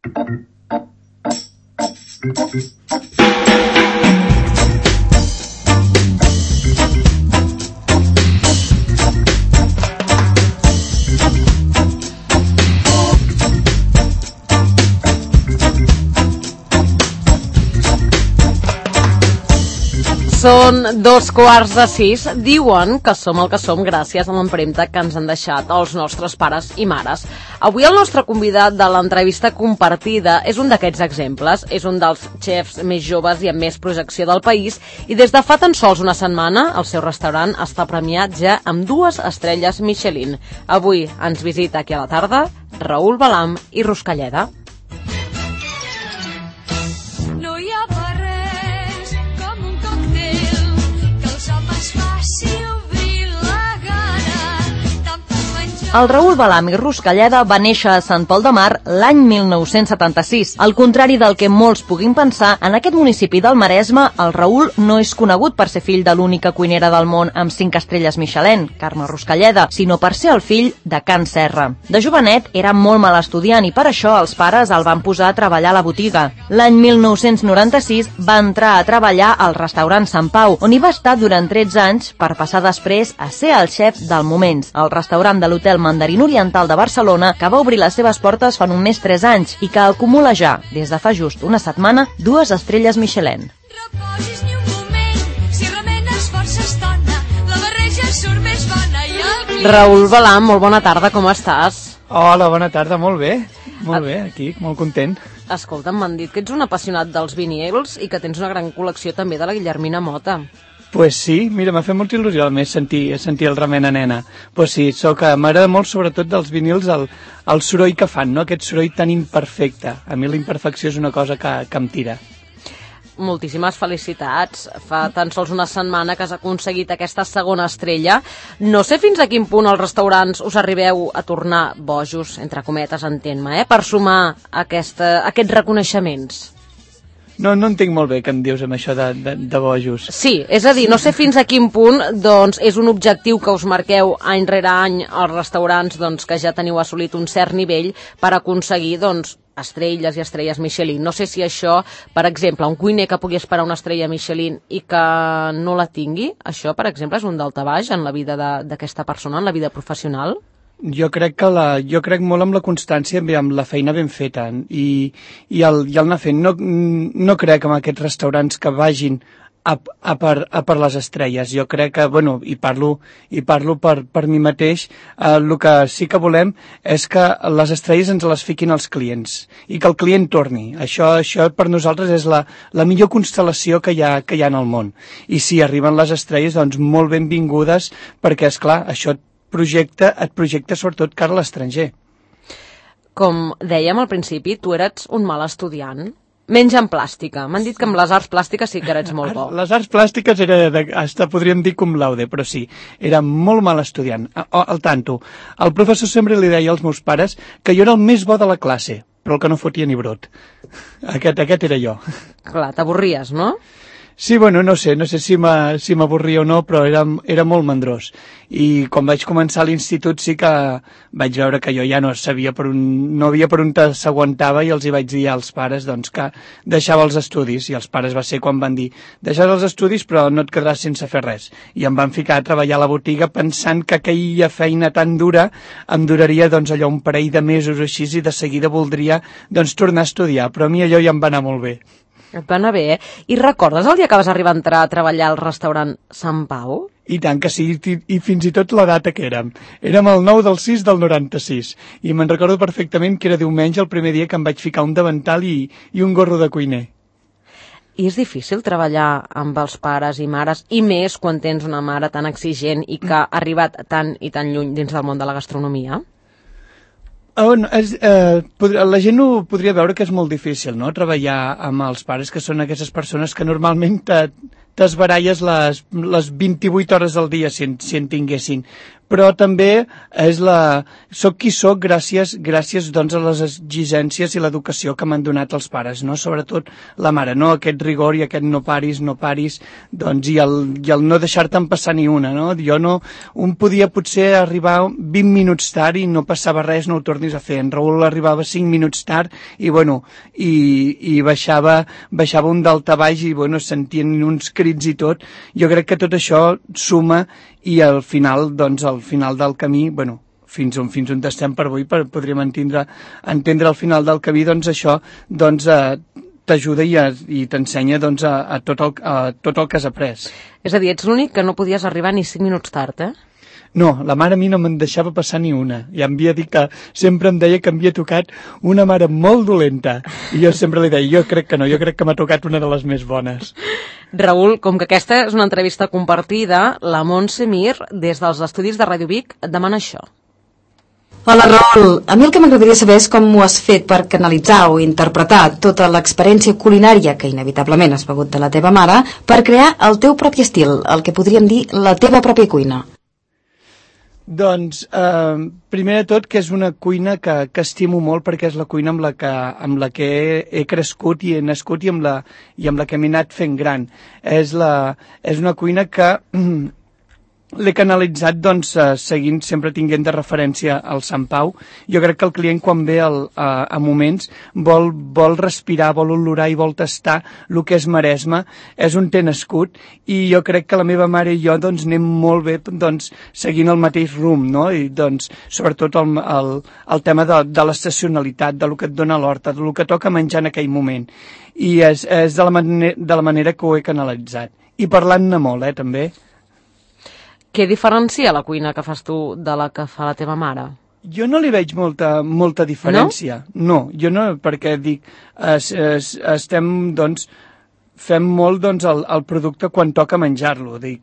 Són 5:15. Diuen que som el que som gràcies a l'empremta que ens han deixat els nostres pares i mares. Avui el nostre convidat de l'entrevista compartida és un d'aquests exemples. És un dels xefs més joves i amb més projecció del país i des de fa tan sols una setmana el seu restaurant està premiat ja amb 2 estrelles Michelin. Avui ens visita aquí a la tarda Raül Balam i Ruscalleda. No hi ha res com un còctel que els homes faci obrir la gana tant per menjar. El Raül Balam i Ruscalleda va néixer a Sant Pol de Mar l'any 1976. Al contrari del que molts puguin pensar, en aquest municipi del Maresme, el Raül no és conegut per ser fill de l'única cuinera del món amb 5 estrelles Michelin, Carme Ruscalleda, sinó per ser el fill de Can Serra. De jovenet era molt mal estudiant i per això els pares el van posar a treballar a la botiga. L'any 1996 va entrar a treballar al restaurant Sant Pau, on hi va estar durant 13 anys per passar després a ser el xef del Moments, el restaurant de l'Hotel Mandarín Oriental de Barcelona, que va obrir les seves portes fa només 3 anys i que acumula ja, des de fa just una setmana, 2 estrelles Michelin. Reposis ni un moment, si remenes força estona, la barreja surt més bona i el client... Raül Balam, molt bona tarda, com estàs? Hola, bona tarda, molt bé, aquí, molt content. Escolta, m'han dit que ets un apassionat dels vinils i que tens una gran col·lecció també de la Guillermina Mota. Pues sí, mira, m'ha fet molta il·lusió a més sentir el Remena Nena. Pues sí, m'agrada molt sobretot dels vinils el soroll que fan, no? Aquest soroll tan imperfecte. A mi la imperfecció és una cosa que em tira. Moltíssimes felicitats. Fa tan sols una setmana que has aconseguit aquesta segona estrella. No sé fins a quin punt els restaurants us arribeu a tornar bojos, entre cometes, entenc-me, per sumar aquests reconeixements. No entenc molt bé què em dius amb això de bojos. Sí, és a dir, no sé fins a quin punt doncs, és un objectiu que us marqueu any rere any als restaurants doncs, que ja teniu assolit un cert nivell per aconseguir doncs, estrelles i estrelles Michelin. No sé si això, per exemple, un cuiner que pugui esperar una estrella Michelin i que no la tingui, això, per exemple, és un daltabaix en la vida d'aquesta persona, en la vida professional? Jo crec molt amb la constància i amb la feina ben feta i el anar fent. No crec en aquests restaurants que vagin a per les estrelles. Jo crec que, bueno, i parlo per mi mateix, el que sí que volem és que les estrelles ens les fiquin els clients i que el client torni. Això per nosaltres és la millor constel·lació que hi ha en el món. I si arriben les estrelles, doncs molt benvingudes, perquè, esclar, això et projecta sobretot cara a l'estranger. Com dèiem al principi, tu eres un mal estudiant. Menys en plàstica. M'han dit que amb les arts plàstiques sí que eres molt bo. Les arts plàstiques hasta podríem dir cum laude, però sí, era molt mal estudiant. Al tanto. El professor sempre li deia als meus pares que jo era el més bo de la classe, però el que no fotia ni brot. Aquest era jo. Clar, t'avorries, no? Sí, bueno, no sé si m'avorria o no, però era molt mandrós. I quan vaig començar a l'institut sí que vaig veure que jo ja no havia per on s'aguantava i els hi vaig dir als pares doncs, que deixava els estudis. I els pares va ser quan van dir deixaràs els estudis però no et quedaràs sense fer res. I em van ficar a treballar a la botiga pensant que aquella feina tan dura em duraria doncs, allò un parell de mesos o així i de seguida voldria doncs, tornar a estudiar. Però a mi allò ja em va anar molt bé. Et va anar bé, eh? I recordes el dia que vas arribar a entrar a treballar al restaurant Sant Pau? I tant que sí, i fins i tot la data que érem. Érem el 9/6/96, i me'n recordo perfectament que era diumenge el primer dia que em vaig ficar un davantal i un gorro de cuiner. I és difícil treballar amb els pares i mares, i més quan tens una mare tan exigent i que ha arribat tan i tan lluny dins del món de la gastronomia? La gent ho podria veure que és molt difícil, no?, treballar amb els pares, que són aquestes persones que normalment t'esbaralles les 28 hores del dia si en tinguessin. però també soc qui soc gràcies doncs, a les exigències i l'educació que m'han donat els pares, no? Sobretot la mare, no? Aquest rigor i aquest no paris, doncs, i el no deixar-te'n passar ni una, no? Un podia potser arribar 20 minuts tard i no passava res, no ho tornis a fer. En Raül arribava 5 minuts tard i, i baixava un daltabaix i, sentien uns crits i tot. Jo crec que tot això suma i al final del camí, fins on estem per avui, podríem entendre al final del camí, doncs això t'ajuda i t'ensenya a tot el que has après. És a dir, ets l'únic que no podies arribar ni 5 minuts tard, eh? No, la mare a mi no me'n deixava passar ni una. Ja em havia dit que sempre em deia que em havia tocat una mare molt dolenta. I jo sempre li deia, jo crec que no, jo crec que m'ha tocat una de les més bones. Raül, com que aquesta és una entrevista compartida, la Montse Mir, des dels estudis de Ràdio Vic, et demana això. Hola, Raül. A mi el que m'agradaria saber és com ho has fet per canalitzar o interpretar tota l'experiència culinària que inevitablement has begut de la teva mare per crear el teu propi estil, el que podríem dir la teva pròpia cuina. Doncs, primer de tot, que és una cuina que estimo molt perquè és la cuina amb la que he crescut i he nascut i amb la que m'he anat fent gran. És una cuina que l'he canalitzat, doncs, seguint, sempre tinguent de referència al Sant Pau. Jo crec que el client, quan ve a moments, vol respirar, vol olorar i vol tastar el que és Maresme. És un té nascut i jo crec que la meva mare i jo, doncs, anem molt bé, doncs, seguint el mateix rumb, no? I, doncs, sobretot el tema de l'estacionalitat, de lo que et dona l'horta, de lo que toca menjar en aquell moment. I és de la manera que ho he canalitzat. I parlant-ne molt, també. Què diferencia la cuina que fas tu de la que fa la teva mare? Jo no li veig molta diferència. No, jo no, perquè dic, estem, doncs, fem molt, doncs, el producte quan toca menjar-lo. És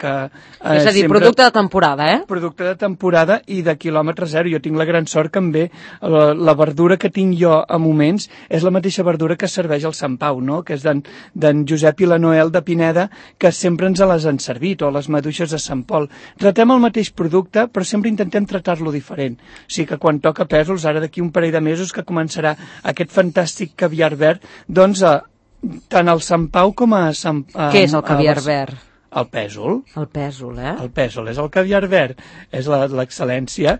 a dir, producte de temporada, eh? Producte de temporada i de quilòmetre zero. Jo tinc la gran sort que em ve la verdura que tinc jo a moments és la mateixa verdura que serveix al Sant Pau, no? Que és d'en Josep i la Noel de Pineda, que sempre ens les han servit, o les maduixes de Sant Pol. Tratem el mateix producte, però sempre intentem tratar-lo diferent. O sigui que quan toca pèsols, ara d'aquí un parell de mesos que començarà aquest fantàstic caviar verd, doncs tant al Sant Pau com a Sant... Què és el caviar verd? El pèsol. El pèsol, eh? El pèsol, és el caviar verd, és l'excel·lència.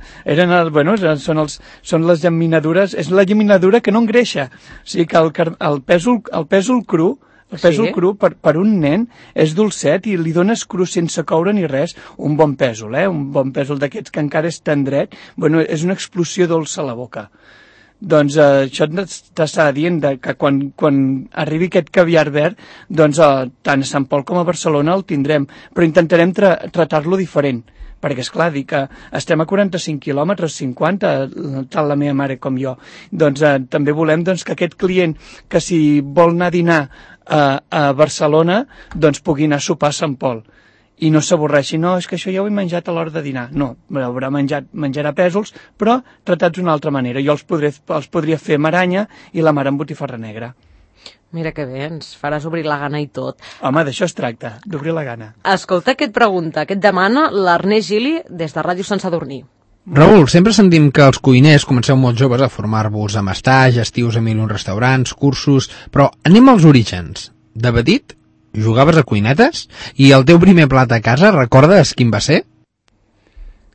Són les llaminadures, és la llaminadura que no engreixa. O sigui que el pèsol cru, cru per un nen és dolcet i li dones cru sense coure ni res, un bon pèsol, un bon pèsol d'aquests que encara és tendret, és una explosió dolça a la boca. Doncs això t'està dient que quan arribi aquest caviar verd, doncs tant a Sant Pol com a Barcelona el tindrem, però intentarem tratar-lo diferent, perquè és clar, dir que estem a 45 quilòmetres, 50, tant la meva mare com jo. Doncs també volem que aquest client que si vol anar a dinar a Barcelona, doncs pugui anar a sopar a Sant Pol. I no s'avorreixi, no, és que això ja ho he menjat a l'hora de dinar. No, menjarà pèsols, però tratats d'una altra manera. Jo els podria fer amb aranya i la mare amb botifarra negra. Mira que bé, ens faràs obrir la gana i tot. Home, d'això es tracta, d'obrir la gana. Escolta, què et pregunta, què et demana l'Ernest Gili des de Ràdio Sant Sadurní? Raül, sempre sentim que els cuiners comenceu molt joves a formar-vos amb estage, estius a 1001 restaurants, cursos, però anem als orígens. De petit, jugaves a cuinetes? I el teu primer plat a casa, recordes quin va ser?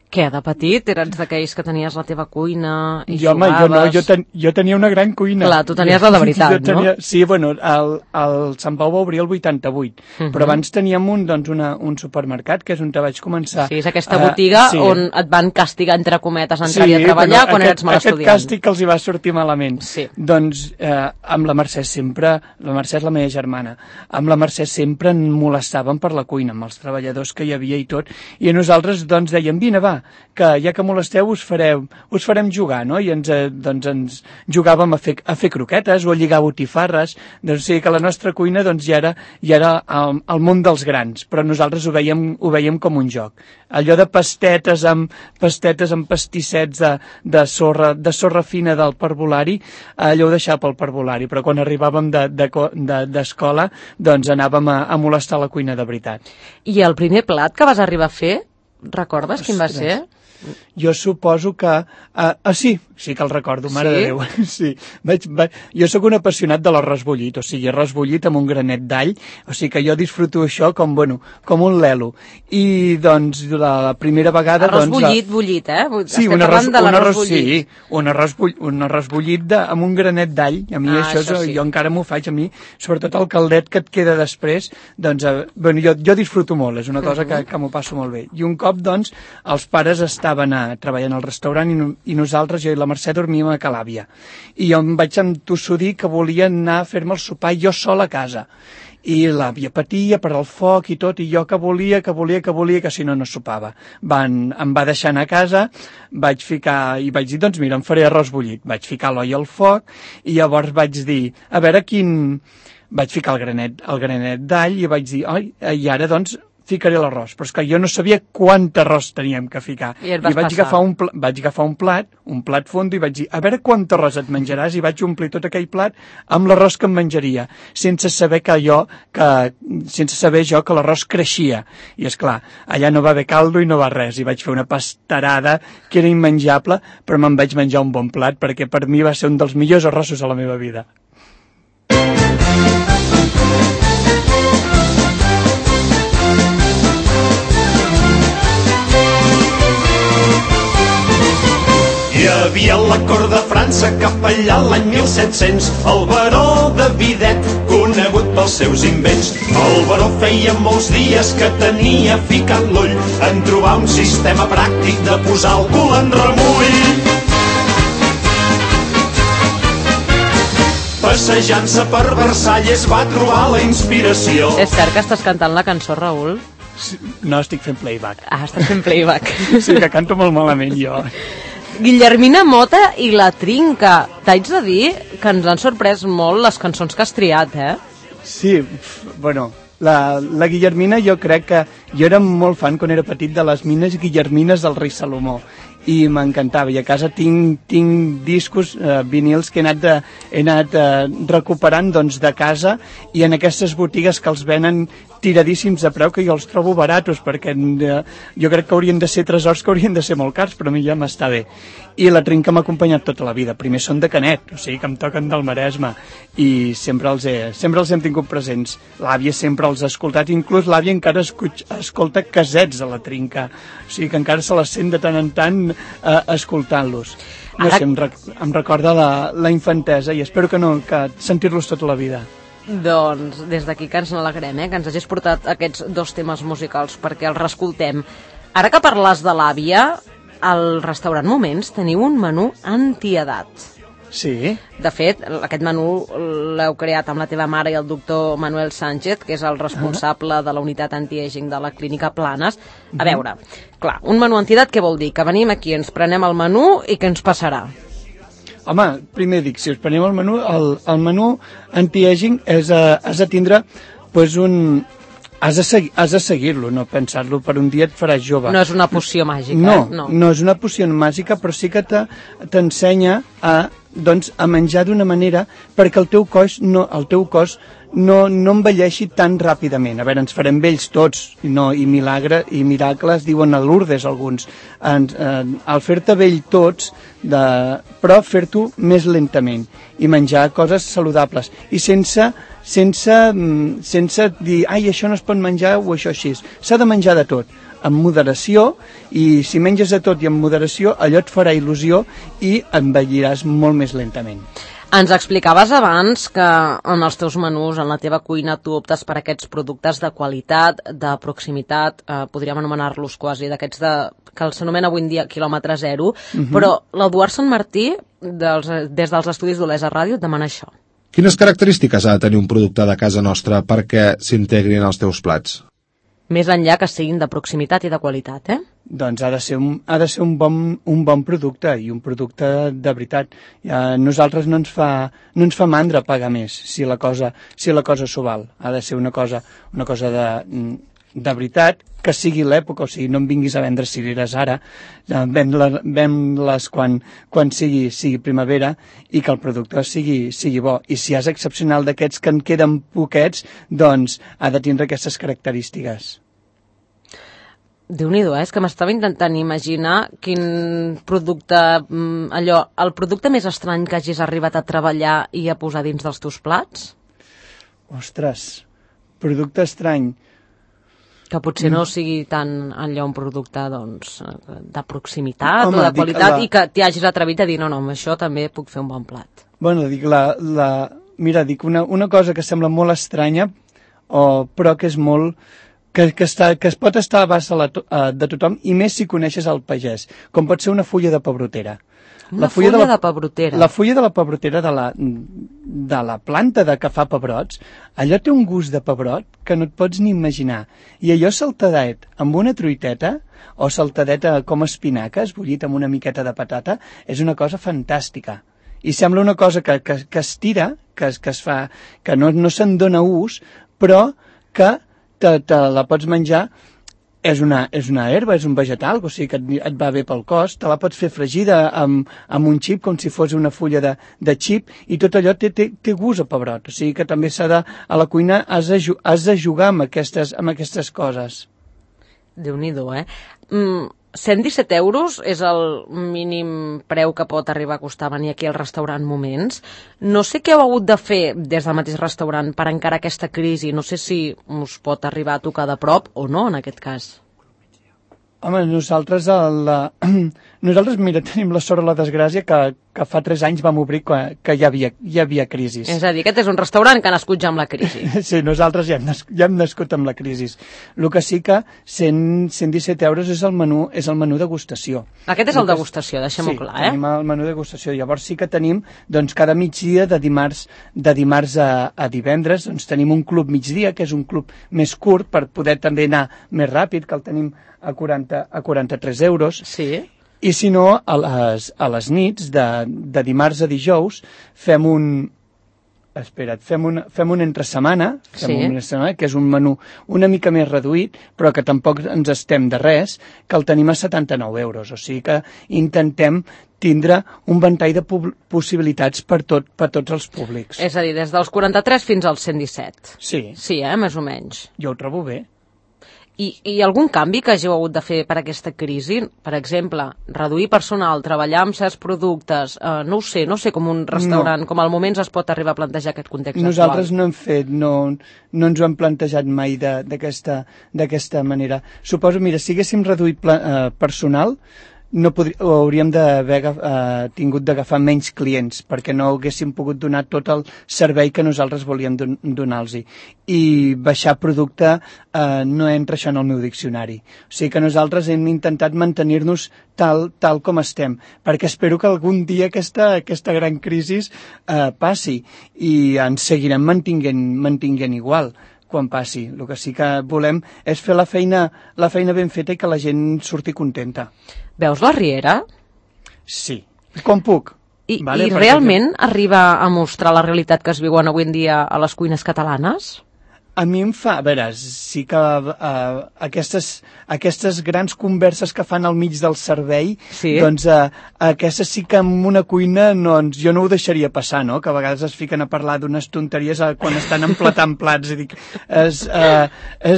Què, de petit? Eres d'aquells que tenies la teva cuina i home, jugaves? Jo tenia una gran cuina. Clar, tu tenies la de veritat, no? Sí, el Sant Pau va obrir el 88, però abans teníem un supermercat, que és on te vaig començar. Sí, és aquesta botiga on et van castigar, entre cometes, a entrar-hi a treballar quan eres mal estudiant. Aquest càstig que els hi va sortir malament. Sí. Doncs amb la Mercè sempre, la Mercè és la meva germana, amb la Mercè sempre en molestaven per la cuina, amb els treballadors que hi havia i tot, i nosaltres doncs dèiem, vine, va, que ja que molesteu us farem jugar, no? I ens jugàvem a fer croquetes o a lligar botifarres, doncs sí que la nostra cuina doncs ja era el món dels grans, però nosaltres ho veiem com un joc. Allò de pastetes amb pastissets de sorra fina del parvulari, allò ho deixava pel parvulari, però quan arribàvem d'escola doncs anàvem a molestar la cuina de veritat. I el primer plat que vas arribar a fer, recordes quin va ser? Jo suposo que... sí que el recordo, mare de Déu. Sí. Jo sóc un apassionat de l'arròs bullit, o sigui, arròs bullit amb un granet d'all, o sigui que jo disfruto això com un lelo. I, doncs, la primera vegada... Arròs bullit, eh? Sí, un arròs bullit amb un granet d'all. A mi això jo encara m'ho faig, a mi, sobretot el caldet que et queda després, doncs, jo disfruto molt, és una cosa que m'ho passo molt bé. I un cop, doncs, els pares estaven treballant al restaurant i nosaltres, jo i la Mercè, dormíem a Calàbia. I jo em vaig entossudir que volia anar a fer-me el sopar jo sol a casa. I l'àvia patia per al foc i tot, i jo que volia, que si no sopava. Em va deixar anar a casa, vaig dir, doncs mira, em faré arròs bullit. Vaig ficar l'olla al foc i llavors vaig dir, a veure vaig ficar el granet d'all i vaig dir, i ara doncs ficaré l'arròs, però és que jo no sabia quant arròs teníem que ficar. I vaig agafar un plat fondo i vaig dir, a veure quant arròs et menjaràs, i vaig omplir tot aquell plat amb l'arròs que em menjaria, sense saber jo que l'arròs creixia. I és clar, allà no va haver caldo i no va res, i vaig fer una pastarada que era immenjable, però me'n vaig menjar un bon plat, perquè per mi va ser un dels millors arrossos de la meva vida. Hi havia a la cort de França cap allà l'any 1700 el baró de Videt, conegut pels seus invents. El baró feia molts dies que tenia ficat l'ull en trobar un sistema pràctic de posar el cul en remull. Passejant-se per Versalles va trobar la inspiració. És cert que estàs cantant la cançó, Raül? No, estic fent playback. Estàs fent playback. Sí, que canto molt malament jo. Guillermina Mota i La Trinca. T'haig de dir que ens han sorprès molt les cançons que has triat, eh? Sí, bueno, la Guillermina jo crec que... Jo era molt fan quan era petit de les mines guillermines del rei Salomó i m'encantava, i a casa tinc discos, vinils que he anat recuperant doncs, de casa, i en aquestes botigues que els venen tiradíssims a preu, que jo els trobo baratos, perquè jo crec que haurien de ser tresors que haurien de ser molt cars, però a mi ja m'està bé. I La Trinca m'ha acompanyat tota la vida. Primer són de Canet, o sigui que em toquen del Maresme, i sempre els hem tingut presents. L'àvia sempre els ha escoltat, inclús l'àvia encara escolta casets de La Trinca, o sigui que encara se les sent de tant en tant escoltant-los. No sé, em recorda la infantesa, i espero que sentir-los tota la vida. Doncs des d'aquí que ens n'alegrem, que ens hagis portat aquests dos temes musicals perquè els reescoltem. Ara que parles de l'àvia, al restaurant Moments teniu un menú antiedat. Sí. De fet, aquest menú l'heu creat amb la teva mare i el doctor Manuel Sánchez, que és el responsable de la unitat anti-aging de la Clínica Planes. A veure, clar, un menú antiedat què vol dir? Que venim aquí, ens prenem el menú i què ens passarà? Home, primer dic, si us prenem el menú, el menú anti-aging has de tindre pues, has de seguir-lo, no pensar-lo per un dia et faràs jove. No és una poció màgica. No és una poció màgica, però sí que t'ensenya a menjar d'una manera perquè el teu cos no envelleixi tan ràpidament. A veure, ens farem vells tots, i miracles diuen a Lourdes alguns. Al fer-te vell tots, però fer-t'ho més lentament i menjar coses saludables i sense dir, això no es pot menjar o això així. S'ha de menjar de tot, amb moderació, i si menges de tot i amb moderació, allò et farà il·lusió i envelliràs molt més lentament. Ens explicaves abans que en els teus menús, en la teva cuina, tu optes per aquests productes de qualitat, de proximitat, podríem anomenar-los quasi d'aquests que s'anomena avui en dia quilòmetre zero, però l'Eduard Sant Martí, des dels estudis d'Olesa Ràdio, et demana això. Quines característiques ha de tenir un producte de casa nostra perquè s'integrin als teus plats? Més enllà que siguin de proximitat i de qualitat, eh? Doncs ha de ser un bon producte, i un producte de veritat. Nosaltres no ens fa mandra pagar més si la cosa s'ho val. Ha de ser una cosa de veritat, que sigui l'època, o sigui, no em vinguis a vendre cireres ara, ven-les quan sigui primavera, i que el producte sigui bo. I si és excepcional d'aquests que en queden poquets, doncs ha de tindre aquestes característiques. Déu-n'hi-do, és que m'estava intentant imaginar quin producte, el producte més estrany que hagis arribat a treballar i a posar dins dels teus plats? Ostres, producte estrany. Que potser no sigui tan allò un producte doncs, de proximitat o de dic, qualitat i que t'hi hagis atrevit a dir no, amb això també puc fer un bon plat. Bueno, dic, mira, dic una cosa que sembla molt estranya, però que és molt... Que es pot estar a abast de tothom, i més si coneixes el pagès, com pot ser una fulla de pebrotera. Una fulla de pebrotera? La fulla de la pebrotera de la planta que fa pebrots, allò té un gust de pebrot que no et pots ni imaginar. I allò saltadet amb una truiteta, o saltadeta com espinaca, esbullit amb una miqueta de patata, és una cosa fantàstica. I sembla una cosa que es tira, que es fa, que no se'n dona ús, però que te la pots menjar, és una herba, és un vegetal, o sigui que et va bé pel cos, te la pots fer fregida amb un xip, com si fos una fulla de xip, i tot allò té gust a pebrot, o sigui que també a la cuina has de jugar amb aquestes coses. Déu-n'hi-do, 117 euros és el mínim preu que pot arribar a costar venir aquí al restaurant Moments. No sé què heu hagut de fer des del mateix restaurant per encarar aquesta crisi. No sé si us pot arribar a tocar de prop o no, en aquest cas. Home, nosaltres, mira, tenim la sort o la desgràcia que fa 3 anys vam obrir que hi havia crisi. És a dir, aquest és un restaurant que ha nascut ja amb la crisi. Sí, nosaltres ja hem nascut amb la crisi. El que sí que 117 euros és el menú degustació. Aquest és el degustació, deixem-ho clar, Sí, tenim el menú degustació. Llavors sí que tenim, doncs, cada migdia, de dimarts a divendres, doncs tenim un club migdia, que és un club més curt per poder també anar més ràpid, que el tenim a 43 euros. Sí. I si no, a les nits, de dimarts a dijous, fem un entresetmana, que és un menú una mica més reduït, però que tampoc ens estem de res, que el tenim a 79 euros. O sigui que intentem tindre un ventall de possibilitats per tots els públics. És a dir, des dels 43 fins als 117. Sí. Sí, més o menys. Jo ho trobo bé. I algun canvi que hàgiu hagut de fer per aquesta crisi? Per exemple, reduir personal, treballar amb certs productes, no ho sé com un restaurant, com al Moments es pot arribar a plantejar aquest context Nosaltres actual. no ens ho hem plantejat mai d'aquesta manera. Suposo, mira, si haguéssim reduït personal, hauríem d'haver tingut d'agafar menys clients perquè no haguéssim pogut donar tot el servei que nosaltres volíem donar-los. I baixar producte no entra això en el meu diccionari. O sigui que nosaltres hem intentat mantenir-nos tal com estem, perquè espero que algun dia aquesta gran crisi passi i ens seguirem mantinguent igual quan passi. El que sí que volem és fer la feina ben feta i que la gent surti contenta. Veus la Riera? Sí, com puc. I realment arriba a mostrar la realitat que es viuen avui en dia a les cuines catalanes? A mi em fa... A veure, sí que aquestes grans converses que fan al mig del servei, sí. Doncs aquestes sí que en una cuina jo no ho deixaria passar, no? Que a vegades es fiquen a parlar d'unes tonteries quan estan emplatant plats. És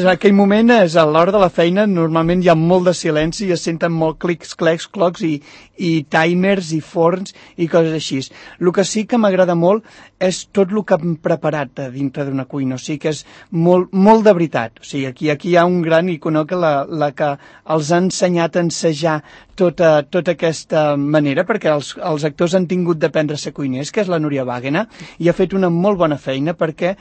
aquell moment, és a l'hora de la feina, normalment hi ha molt de silenci i es senten molt clics, clecs, clocs i timers i forns i coses així. El que sí que m'agrada molt és tot el que hem preparat dintre d'una cuina, o sigui que és molt de veritat. O sigui, aquí hi ha un gran icono que la que els ha ensenyat a ensejar tota aquesta manera, perquè els actors han tingut d'aprendre a ser cuiners, que és la Núria Wagner, i ha fet una molt bona feina perquè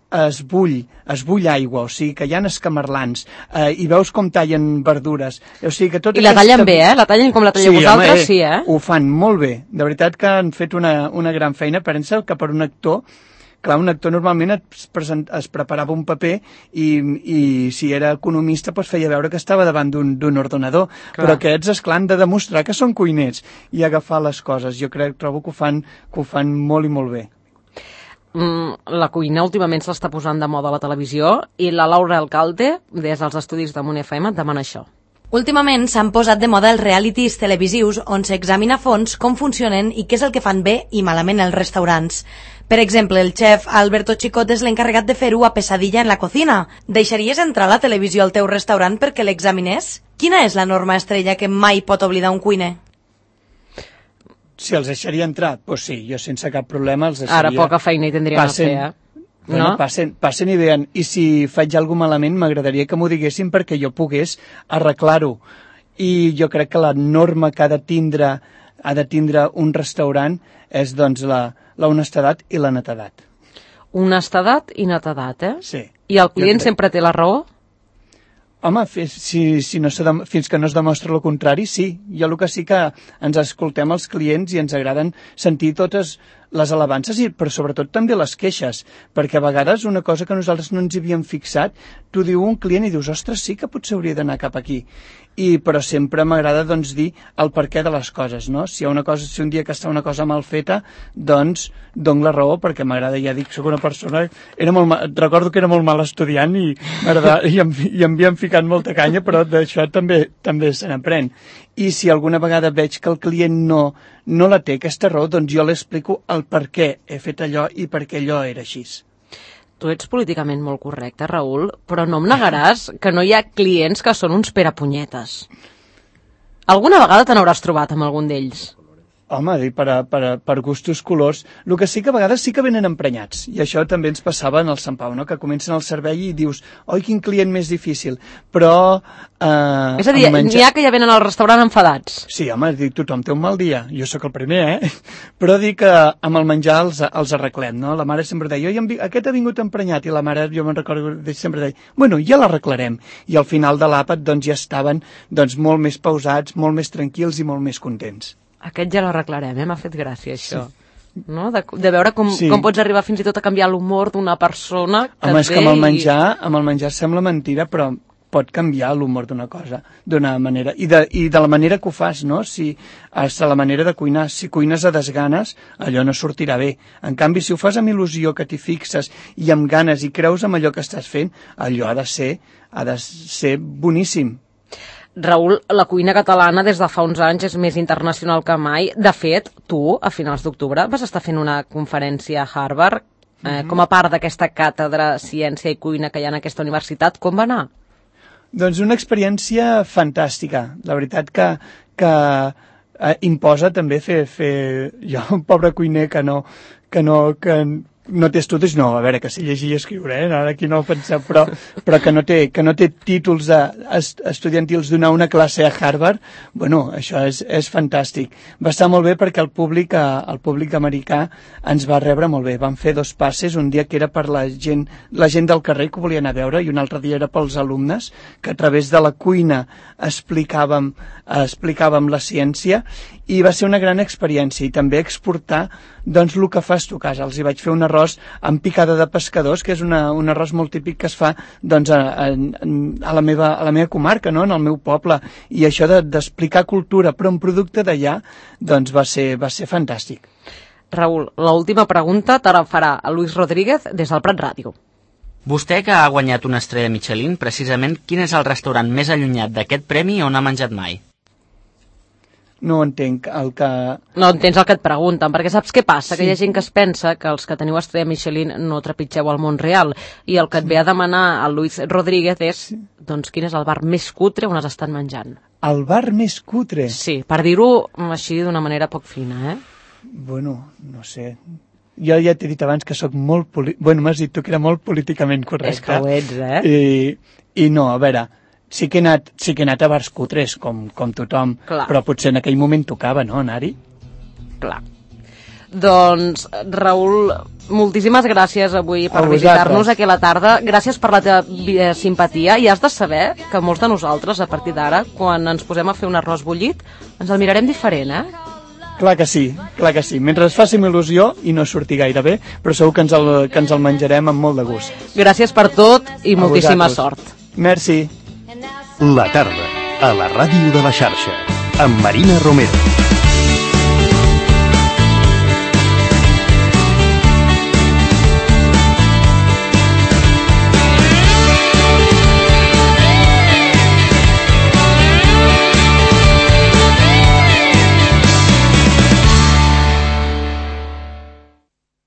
es bull aigua, o sigui que hi ha escamarlans, i veus com tallen verdures. O sigui que I la tallen bé, La tallen com la talleu vosaltres, sí, Ho fan molt bé. De veritat que han fet una gran feina. Pensa que per un actor, clar, un actor normalment es preparava un paper i si era economista feia veure que estava davant d'un ordenador. Clar. Però aquests, esclar, han de demostrar que són cuiners i agafar les coses. Jo trobo que ho fan molt i molt bé. La cuina últimament se l'està posant de moda a la televisió i la Laura Alcalde, des dels estudis de Munt FM, et demana això. Últimament s'han posat de moda els realities televisius on s'examina a fons com funcionen i què és el que fan bé i malament els restaurants. Per exemple, el xef Alberto Chicot és l'encarregat de fer-ho a Pesadilla en la cocina. Deixaries entrar la televisió al teu restaurant perquè l'examinés? Quina és la norma estrella que mai pot oblidar un cuiner? Si els deixaria entrar, doncs sí, jo sense cap problema els deixaria. Ara poca feina hi tindrien a fer, Bueno, passen i veien. I si faig alguna malament, m'agradaria que m'ho diguessin perquè jo pogués arreglar-ho. I jo crec que la norma que ha de tindre un restaurant és doncs la honestedat i la netedat. Honestedat i netedat, Sí. I el client sempre té la raó? Home, fins que no es demostra el contrari, sí. Jo el que sí que ens escoltem els clients i ens agraden sentir totes les alabances, però sobretot també les queixes, perquè a vegades una cosa que nosaltres no ens hi havíem fixat, tu diu un client i dius, ostres, sí que potser hauria d'anar cap aquí. Però sempre m'agrada doncs, dir el perquè de les coses, no? Si un dia que està una cosa mal feta, doncs dono la raó, perquè m'agrada, ja dic, soc una persona... Recordo que era molt mal estudiant i em havien ficat molta canya, però d'això també se n'aprèn. I si alguna vegada veig que el client no la té, aquesta raó, doncs jo l'explico el per què he fet allò i per què allò era així. Tu ets políticament molt correcte, Raül, però no em negaràs que no hi ha clients que són uns perapunyetes. Alguna vegada te n'hauràs trobat amb algun d'ells? Home, per gustos colors. El que sí que a vegades sí que venen emprenyats, i això també ens passava en el Sant Pau, no? Que comencen el servei i dius, oi, quin client més difícil, però... és a dir, n'hi ha que ja venen al restaurant enfadats. Sí, home, dic, tothom té un mal dia, jo sóc el primer, però dic que amb el menjar els arreglem, no? La mare sempre deia, aquest ha vingut emprenyat, i la mare, jo me'n recordo, sempre deia, bueno, ja l'arreglarem, i al final de l'àpat doncs ja estaven molt més pausats, molt més tranquils i molt més contents. Aquest ja l'arreglarem, m'ha fet gràcia, això. Sí. No? De veure com pots arribar fins i tot a canviar l'humor d'una persona que home, és que amb el menjar sembla mentira, però pot canviar l'humor d'una cosa, d'una manera. I de la manera que ho fas, no? Si la manera de cuinar. Si cuines a desganes, allò no sortirà bé. En canvi, si ho fas amb il·lusió, que t'hi fixes, i amb ganes, i creus en allò que estàs fent, allò ha de ser boníssim. Raül, la cuina catalana des de fa uns anys és més internacional que mai. De fet, tu, a finals d'octubre, vas estar fent una conferència a Harvard com a part d'aquesta càtedra Ciència i Cuina que hi ha en aquesta universitat. Com va anar? Doncs una experiència fantàstica. La veritat que imposa també fer jo, un pobre cuiner que no té estudis, no, a veure, que sé llegir i escriure, ara aquí no ho penseu, però que no té títols estudiantils donar una classe a Harvard, bueno, això és fantàstic. Va estar molt bé perquè el públic americà ens va rebre molt bé. Vam fer 2 passes, un dia que era per la gent del carrer que ho volia anar a veure i un altre dia era pels alumnes, que a través de la cuina explicàvem la ciència, i va ser una gran experiència, i també exportar doncs el que fas tu a casa. Els hi vaig fer un arròs amb picada de pescadors, que és un arròs molt típic que es fa doncs, a la meva comarca, no? En el meu poble, i això d'explicar cultura però un producte d'allà doncs va ser fantàstic. Raül, l'última pregunta te la farà Luis Rodríguez des del Prat Ràdio. Vostè, que ha guanyat una estrella Michelin, precisament quin és el restaurant més allunyat d'aquest premi on ha menjat mai? No entenc el que... No entens el que et pregunten, perquè saps què passa? Sí. Que hi ha gent que es pensa que els que teniu estrella Michelin no trepitgeu al món real, i el que et ve a demanar a Luis Rodríguez és, doncs, quin és el bar més cutre on has estat menjant? El bar més cutre? Sí, per dir-ho així d'una manera poc fina, Bueno, no sé... Jo ja t'he dit abans que sóc molt... Bueno, m'has dit tu que era molt políticament correcte. És que ho ets, I no, a veure... Sí que he anat a bars cutres, com tothom, clar. Però potser en aquell moment tocava, no, anar-hi? Clar. Doncs, Raül, moltíssimes gràcies avui per visitar-nos aquí a la tarda. Gràcies per la teva simpatia, i has de saber que molts de nosaltres, a partir d'ara, quan ens posem a fer un arròs bullit, ens el mirarem diferent, Clar que sí. Mentre es faci amb il·lusió i no surti gaire bé, però segur que ens el menjarem amb molt de gust. Gràcies per tot i moltíssima sort. Merci. La tarda, a la ràdio de la xarxa, amb Marina Romero.